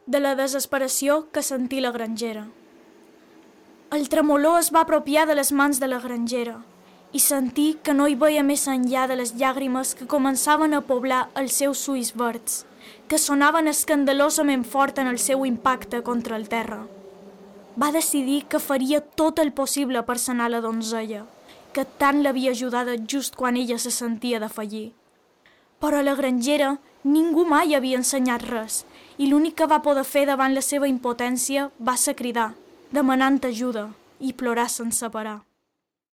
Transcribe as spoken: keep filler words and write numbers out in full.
de la desesperació que sentí la grangera. El tremolor es va apropiar de les mans de la grangera i sentí que no hi veia més enllà de les llàgrimes que començaven a poblar els seus ulls verds, que sonaven escandalosament fort en el seu impacte contra el terra. Va decidir que faria tot el possible per sanar la donzella, que tant l'havia ajudada just quan ella se sentia de fallir. Però a la grangera ningú mai havia ensenyat res i l'únic que va poder fer davant la seva impotència va ser cridar, demanant ajuda i plorar sense parar.